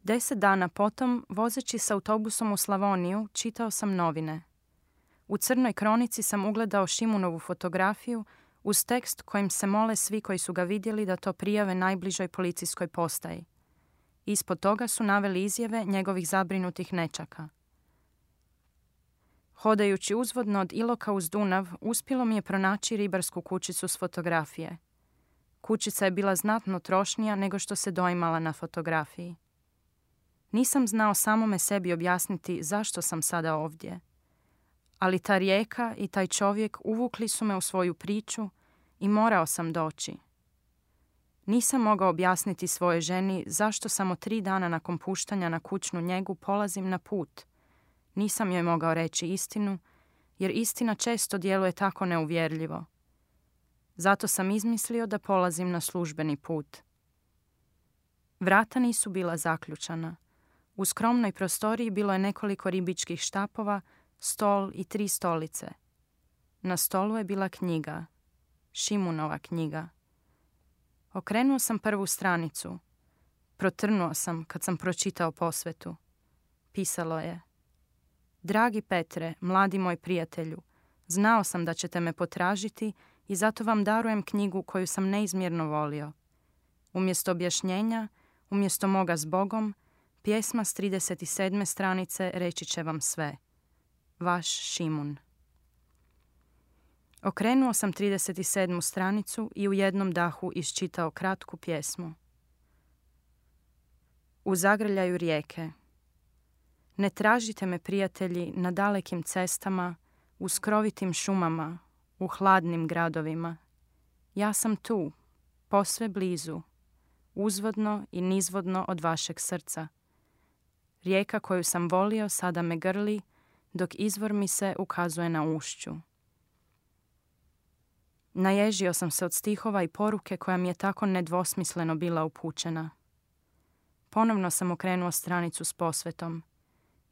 10 dana potom, vozeći s autobusom u Slavoniju, čitao sam novine. U crnoj kronici sam ugledao Šimunovu fotografiju uz tekst kojim se mole svi koji su ga vidjeli da to prijave najbližoj policijskoj postaji. Ispod toga su naveli izjave njegovih zabrinutih nećaka. Hodajući uzvodno od Iloka uz Dunav, uspjelo mi je pronaći ribarsku kućicu s fotografije. Kućica je bila znatno trošnija nego što se doimala na fotografiji. Nisam znao samome sebi objasniti zašto sam sada ovdje. Ali ta rijeka i taj čovjek uvukli su me u svoju priču i morao sam doći. Nisam mogao objasniti svojoj ženi zašto samo 3 dana nakon puštanja na kućnu njegu polazim na put. Nisam joj mogao reći istinu, jer istina često djeluje tako neuvjerljivo. Zato sam izmislio da polazim na službeni put. Vrata nisu bila zaključana. U skromnoj prostoriji bilo je nekoliko ribičkih štapova, stol i 3 stolice. Na stolu je bila knjiga. Šimunova knjiga. Okrenuo sam prvu stranicu. Protrnuo sam kad sam pročitao posvetu. Pisalo je: Dragi Petre, mladi moj prijatelju, znao sam da ćete me potražiti i zato vam darujem knjigu koju sam neizmjerno volio. Umjesto objašnjenja, umjesto moga s Bogom, pjesma s 37. stranice reći će vam sve. Vaš Šimun. Okrenuo sam 37. stranicu i u jednom dahu iščitao kratku pjesmu. U zagrljaju rijeke. Ne tražite me, prijatelji, na dalekim cestama, u skrovitim šumama, u hladnim gradovima. Ja sam tu, posve blizu, uzvodno i nizvodno od vašeg srca. Rijeka koju sam volio sada me grli, dok izvor mi se ukazuje na ušću. Naježio sam se od stihova i poruke koja mi je tako nedvosmisleno bila upućena. Ponovno sam okrenuo stranicu s posvetom.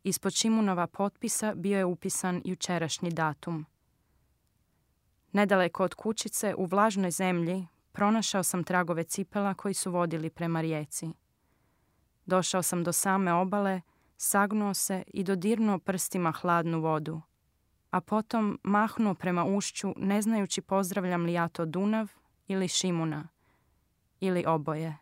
Ispod Šimunova potpisa bio je upisan jučerašnji datum. Nedaleko od kućice, u vlažnoj zemlji, pronašao sam tragove cipela koji su vodili prema rijeci. Došao sam do same obale, sagnuo se i dodirnuo prstima hladnu vodu, a potom mahnuo prema ušću, ne znajući pozdravljam li ja to Dunav ili Šimuna, ili oboje.